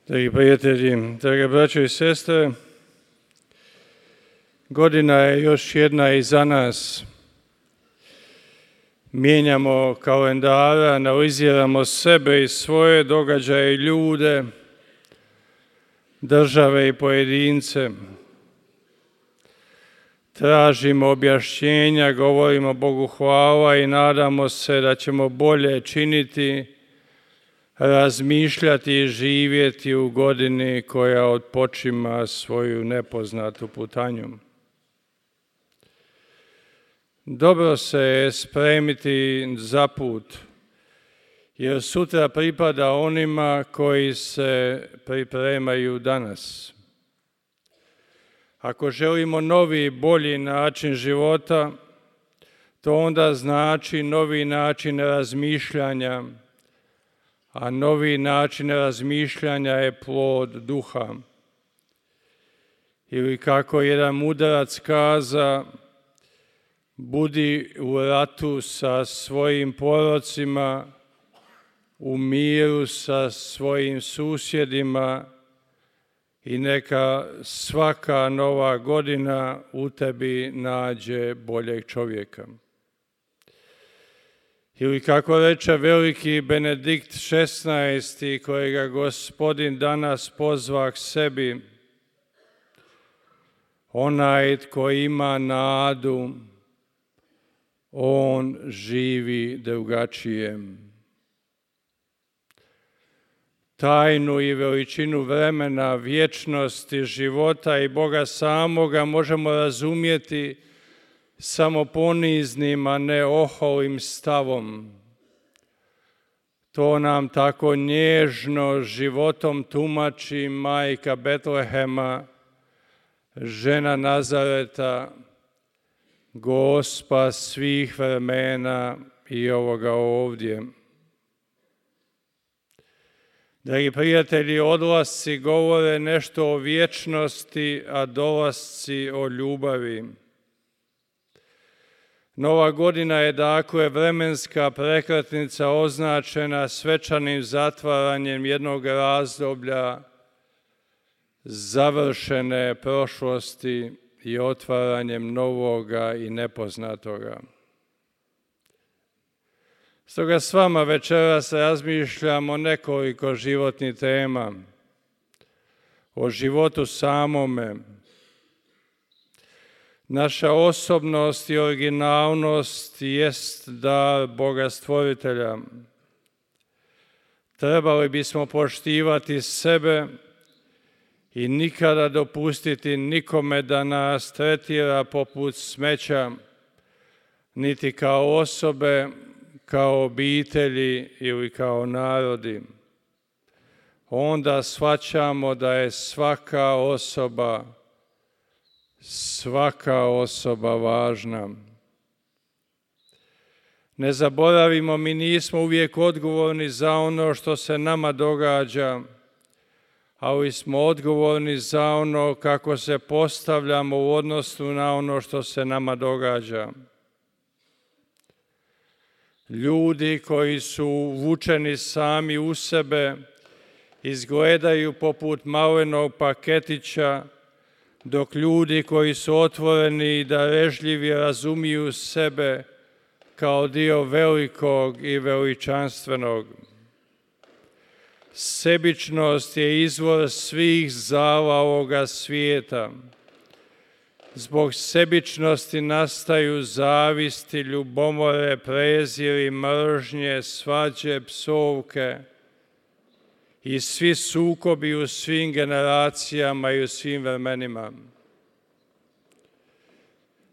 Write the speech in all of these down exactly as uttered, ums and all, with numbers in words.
Dragi prijatelji, drage braćo i sestre, godina je još jedna iza nas. Mijenjamo kalendara, analiziramo sebe i svoje događaje i ljude, države i pojedince. Tražimo objašnjenja, govorimo Bogu hvala i nadamo se da ćemo bolje činiti, razmišljati i živjeti u godini koja otpočima svoju nepoznatu putanju. Dobro se je spremiti za put, jer sutra pripada onima koji se pripremaju danas. Ako želimo novi, bolji način života, to onda znači novi način razmišljanja, a novi način razmišljanja je plod duha. Ili kako jedan mudarac kaza, budi u ratu sa svojim porocima, u miru sa svojim susjedima i neka svaka nova godina u tebi nađe boljeg čovjeka. Ili kako reče veliki Benedikt šesnaesti, kojega Gospodin danas pozva k sebi, onaj tko ima nadu, on živi drugačije. Tajnu i veličinu vremena, vječnosti, života i Boga samoga možemo razumjeti samo poniznim, a ne oholim stavom. To nam tako nježno životom tumači majka Betlehema, žena Nazareta, Gospa svih vremena i ovoga ovdje. Dragi prijatelji, odlasci govore nešto o vječnosti, a dolasci o ljubavi. Nova godina je dakle vremenska prekretnica označena svečanim zatvaranjem jednog razdoblja završene prošlosti i otvaranjem novoga i nepoznatoga. Stoga s vama večeras razmišljamo o nekoliko životnih tema, o životu samome. Naša osobnost i originalnost jest dar Boga Stvoritelja. Trebali bismo poštivati sebe i nikada dopustiti nikome da nas tretira poput smeća, niti kao osobe, kao obitelji ili kao narodi. Onda shvaćamo da je svaka osoba, svaka osoba važna. Ne zaboravimo, mi nismo uvijek odgovorni za ono što se nama događa, ali smo odgovorni za ono kako se postavljamo u odnosu na ono što se nama događa. Ljudi koji su vučeni sami u sebe izgledaju poput malenog paketića, dok ljudi koji su otvoreni i darežljivi razumiju sebe kao dio velikog i veličanstvenog. Sebičnost je izvor svih zala ovoga svijeta. Zbog sebičnosti nastaju zavisti, ljubomore, preziri, mržnje, svađe, psovke i svi sukobi u svim generacijama i u svim vremenima.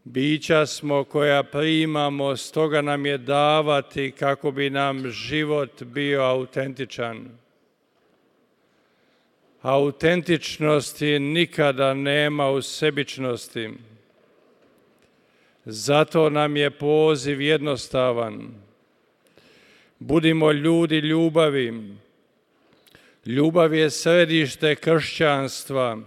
Bića smo koja primamo, stoga nam je davati kako bi nam život bio autentičan. Autentičnosti nikada nema u sebičnosti. Zato nam je poziv jednostavan. Budimo ljudi ljubavi. Ljubav je središte kršćanstva.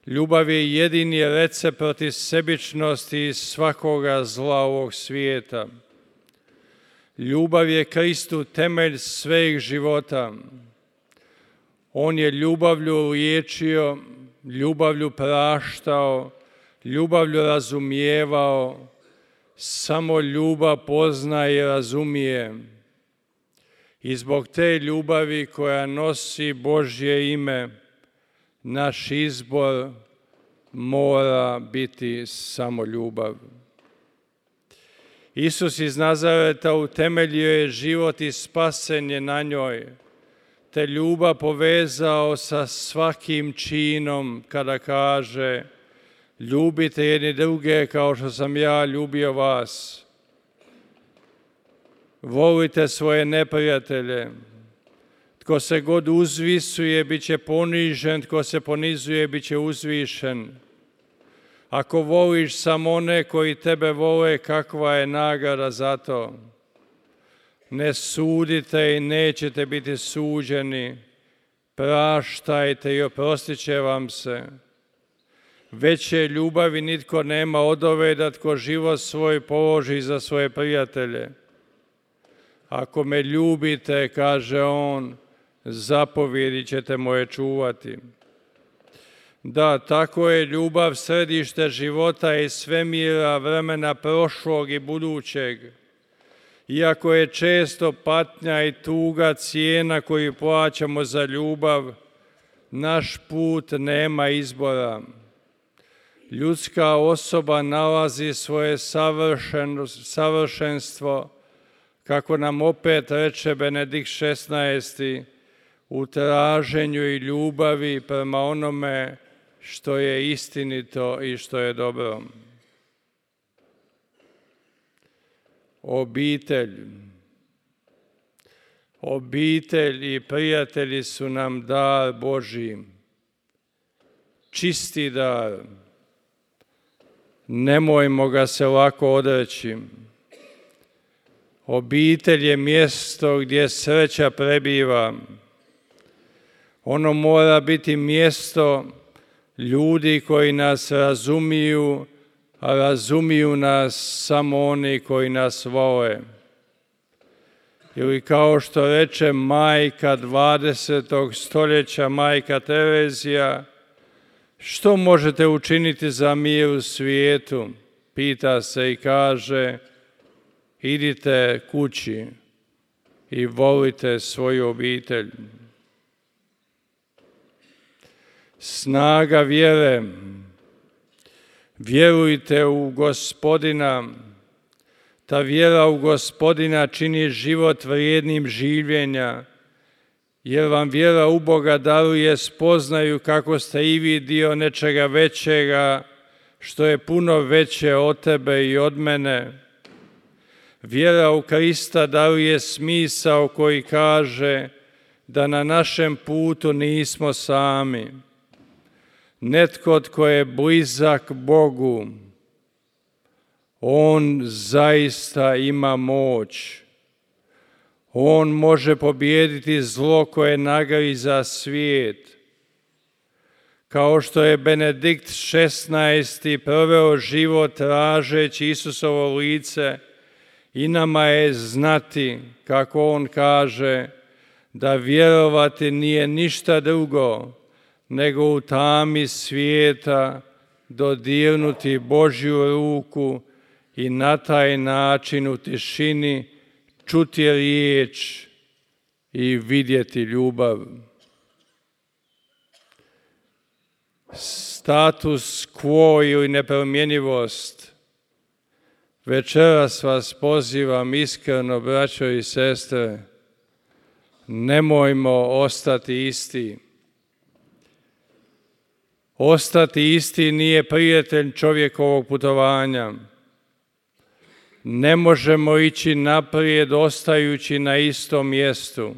Ljubav je jedini recept protiv sebičnosti i svakoga zla ovog svijeta. Ljubav je Kristu temelj sveg života. On je ljubavlju liječio, ljubavlju praštao, ljubavlju razumijevao. Samo ljubav pozna i razumije. I zbog te ljubavi koja nosi Božje ime, naš izbor mora biti samo ljubav. Isus iz Nazareta utemeljio je život i spasenje na njoj, te ljubav povezao sa svakim činom kada kaže: ljubite jedni druge kao što sam ja ljubio vas. Volite svoje neprijatelje. Tko se god uzvisuje, bit će ponižen, tko se ponizuje, bit će uzvišen. Ako voliš samo one koji tebe vole, kakva je nagrada za to? Ne sudite i nećete biti suđeni. Praštajte i oprostit će vam se. Veće ljubavi nitko nema od ove da tko život svoj položi za svoje prijatelje. Ako me ljubite, kaže on, zapovjedi ćete moje čuvati. Da, tako je ljubav središte života i svemira, vremena prošlog i budućeg. Iako je često patnja i tuga cijena koju plaćamo za ljubav, naš put nema izbora. Ljudska osoba nalazi svoje savršenstvo, kako nam opet reče Benedikt šesnaesti, u traženju i ljubavi prema onome što je istinito i što je dobro. Obitelj. Obitelj i prijatelji su nam dar Božji, čisti dar. Nemojmo ga se lako odreći. Obitelj je mjesto gdje sreća prebiva. Ono mora biti mjesto ljudi koji nas razumiju, a razumiju nas samo oni koji nas vole. Ili kao što reče majka dvadesetog stoljeća, majka Terezija, što možete učiniti za mir u svijetu? Pita se i kaže: idite kući i volite svoju obitelj. Snaga vjere. Vjerujte u Gospodina. Ta vjera u Gospodina čini život vrijednim življenja, jer vam vjera u Boga daruje spoznaju kako ste i vi dio nečega većega, što je puno veće od tebe i od mene. Vjera u Krista daruje smisao koji kaže da na našem putu nismo sami. Netko tko je blizak Bogu, on zaista ima moć. On može pobijediti zlo koje nagriza svijet. Kao što je Benedikt šesnaesti proveo život tražeći Isusovo lice, i nama je znati, kako on kaže, da vjerovati nije ništa drugo nego u tami svijeta dodirnuti Božju ruku i na taj način u tišini čuti riječ i vidjeti ljubav. Status quo ili nepromjenjivost. Večeras vas pozivam iskreno, braćo i sestre, nemojmo ostati isti. Ostati isti nije prijatelj čovjekovog putovanja. Ne možemo ići naprijed ostajući na istom mjestu.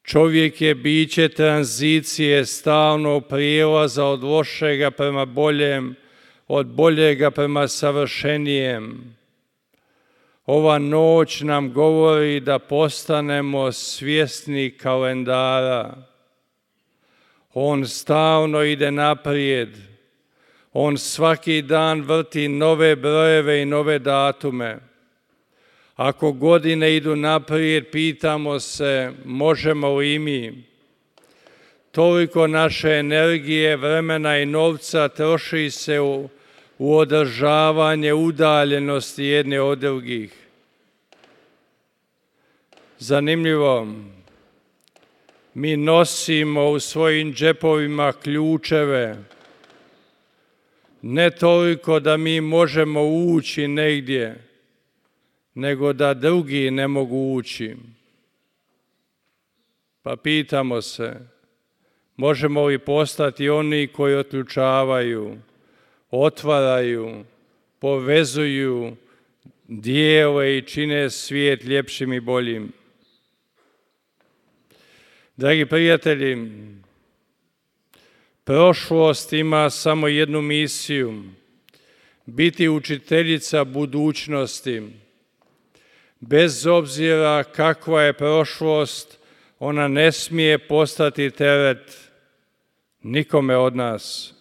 Čovjek je biće tranzicije, stalnog prijelaza od lošega prema boljem, od boljega prema savršenijem. Ova noć nam govori da postanemo svjesni kalendara. On stalno ide naprijed. On svaki dan vrti nove brojeve i nove datume. Ako godine idu naprijed, pitamo se možemo li i mi. toliko naše energije, vremena i novca troši se u, u održavanje udaljenosti jedne od drugih. Zanimljivo, mi nosimo u svojim džepovima ključeve, ne toliko da mi možemo ući negdje, nego da drugi ne mogu ući. Pa pitamo se, možemo li postati oni koji otključavaju, otvaraju, povezuju, dijele i čine svijet ljepšim i boljim? Dragi prijatelji, prošlost ima samo jednu misiju, biti učiteljica budućnosti. Bez obzira kakva je prošlost, ona ne smije postati teret nikome od nas.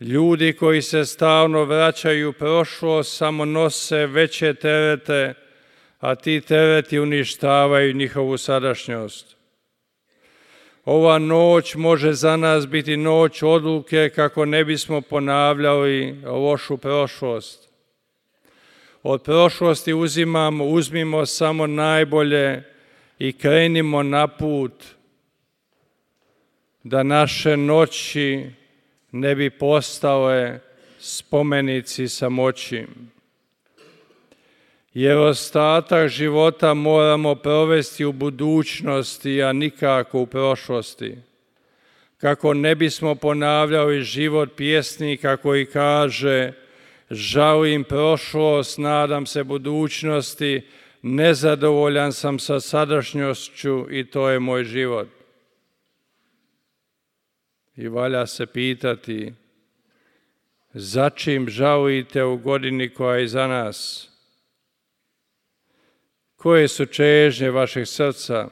Ljudi koji se stalno vraćaju u prošlost samo nose veće terete, a ti tereti uništavaju njihovu sadašnjost. Ova noć može za nas biti noć odluke kako ne bismo ponavljali lošu prošlost. Od prošlosti uzimamo, uzmimo samo najbolje i krenimo na put da naše noći ne bi postale spomenici samoći. Jer ostatak života moramo provesti u budućnosti, a nikako u prošlosti. Kako ne bismo ponavljali život pjesnika koji kaže: žalim prošlost, nadam se budućnosti, nezadovoljan sam sa sadašnjošću i to je moj život. I valja se pitati, za čim žalite u godini koja je iza nas? Koje su čežnje vašeg srca?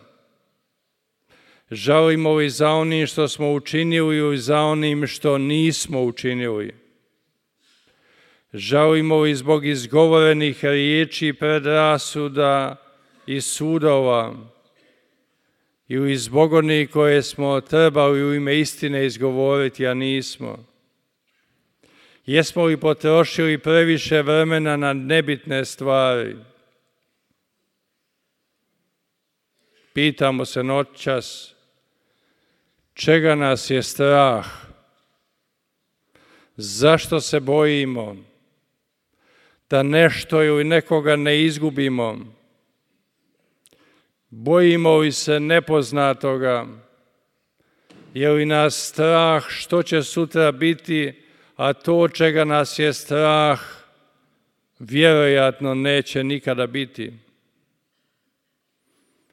Žalimo li za onim što smo učinili ili za onim što nismo učinili? Žalimo li zbog izgovorenih riječi, predrasuda i sudova ili zbog onih koje smo trebali u ime istine izgovoriti, a nismo? Jesmo li potrošili previše vremena na nebitne stvari? Pitamo se noćas, čega nas je strah? Zašto se bojimo? Da nešto ili nekoga ne izgubimo? Bojimo li se nepoznatoga? Je li nas strah što će sutra biti, a to čega nas je strah vjerojatno neće nikada biti?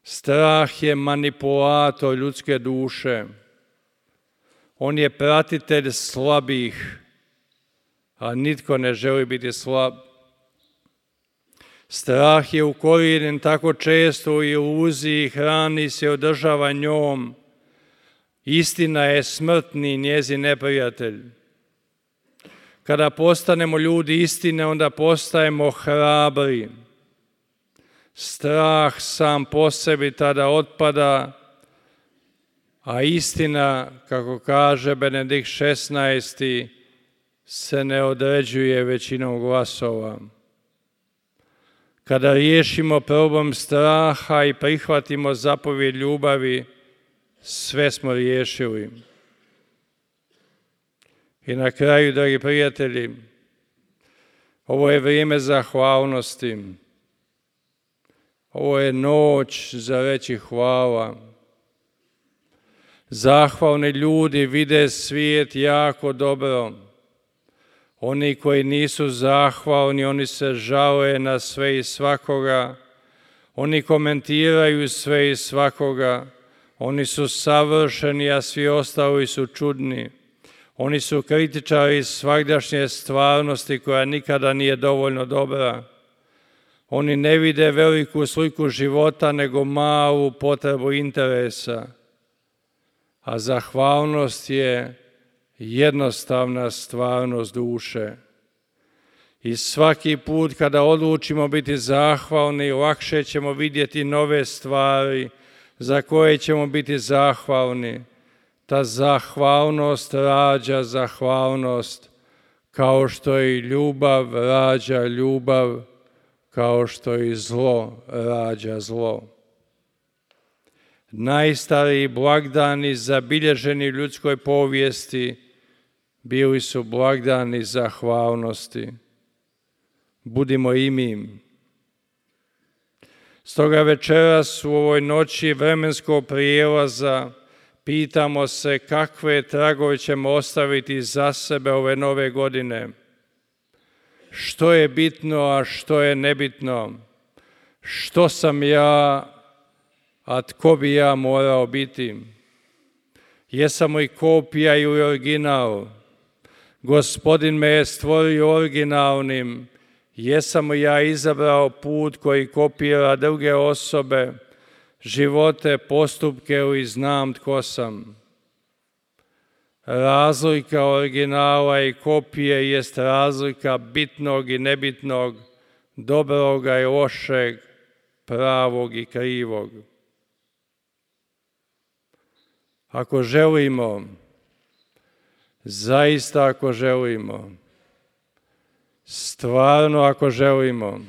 Strah je manipulator ljudske duše. On je pratitelj slabih, a nitko ne želi biti slab. Strah je ukorijenjen tako često u iluziji, hrani se, održava njom. Istina je smrtni njezin neprijatelj. Kada postanemo ljudi istine, onda postajemo hrabri. Strah sam po sebi tada otpada, a istina, kako kaže Benedikt šesnaesti, se ne određuje većinom glasova. Kada riješimo problem straha i prihvatimo zapovjed ljubavi, sve smo riješili. I na kraju, dragi prijatelji, ovo je vrijeme zahvalnosti. Ovo je noć za reći hvala. Zahvalni ljudi vide svijet jako dobro. Oni koji nisu zahvalni, oni se žale na sve i svakoga. Oni komentiraju sve i svakoga. Oni su savršeni, a svi ostali su čudni. Oni su kritičari svagdašnje stvarnosti koja nikada nije dovoljno dobra. Oni ne vide veliku sliku života, nego malu potrebu interesa. A zahvalnost je jednostavna stvarnost duše. I svaki put kada odlučimo biti zahvalni, lakše ćemo vidjeti nove stvari za koje ćemo biti zahvalni. ta zahvalnost rađa zahvalnost, kao što i ljubav rađa ljubav, kao što i zlo rađa zlo. Najstariji blagdani zabilježeni u ljudskoj povijesti bili su blagdani zahvalnosti. Budimo i mi. Stoga večeras u ovoj noći vremenskog prijelaza pitamo se kakve tragove ćemo ostaviti za sebe ove nove godine. Što je bitno, a što je nebitno? Što sam ja, a tko bi ja morao biti? Jesam li kopija ili original? Gospodin me je stvorio originalnim. Jesam li ja izabrao put koji kopira druge osobe, živote, postupke ili znam tko sam? Razlika originala i kopije jest razlika bitnog i nebitnog, dobroga i lošeg, pravog i krivog. Ako želimo, zaista ako želimo, stvarno ako želimo,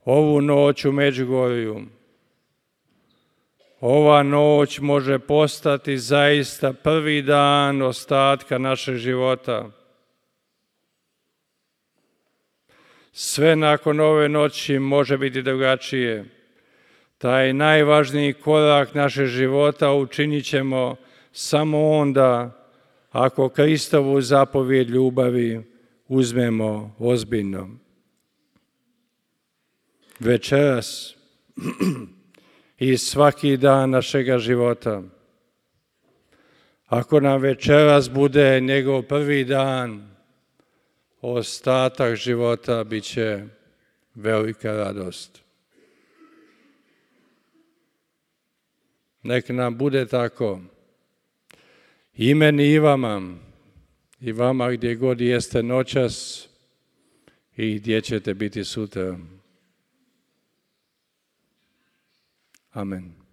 ovu noć u Međugorju, ova noć može postati zaista prvi dan ostatka našeg života. Sve nakon ove noći može biti drugačije. Taj najvažniji korak našeg života učinit ćemo samo onda ako Kristovu zapovjed ljubavi uzmemo ozbiljno. Večeras i svaki dan našega života. Ako nam večeras bude njegov prvi dan, ostatak života bit će velika radost. Nek nam bude tako. I meni i vama, i vama gdje god jeste noćas i gdje ćete biti sutra. Amen.